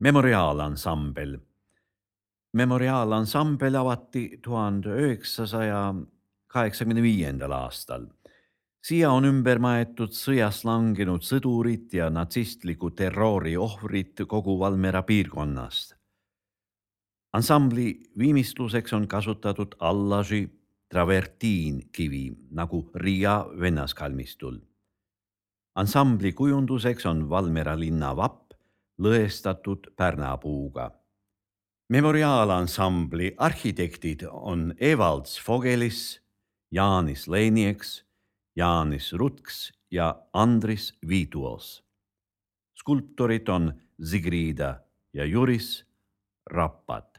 Memoriaalansambel. Memoriaalansambel avati 1985. aastal. Siia on ümber maetud sõjas langenud sõdurid ja natsistliku terrori ohvrid kogu Valmiera piirkonnast. Ansambli viimistluseks on kasutatud allasi travertiinkivi nagu Riia vennaskalmistul. Ansambli kujunduseks on Valmiera linna vapp lõestatud pärnapuuga. Memoriaalansambli arhitektid on Evalds Fogelis, Jaanis Leinieks, Jaanis Rutks ja Andris Viituos. Skulptorid on Zigrida ja Juris Rappat.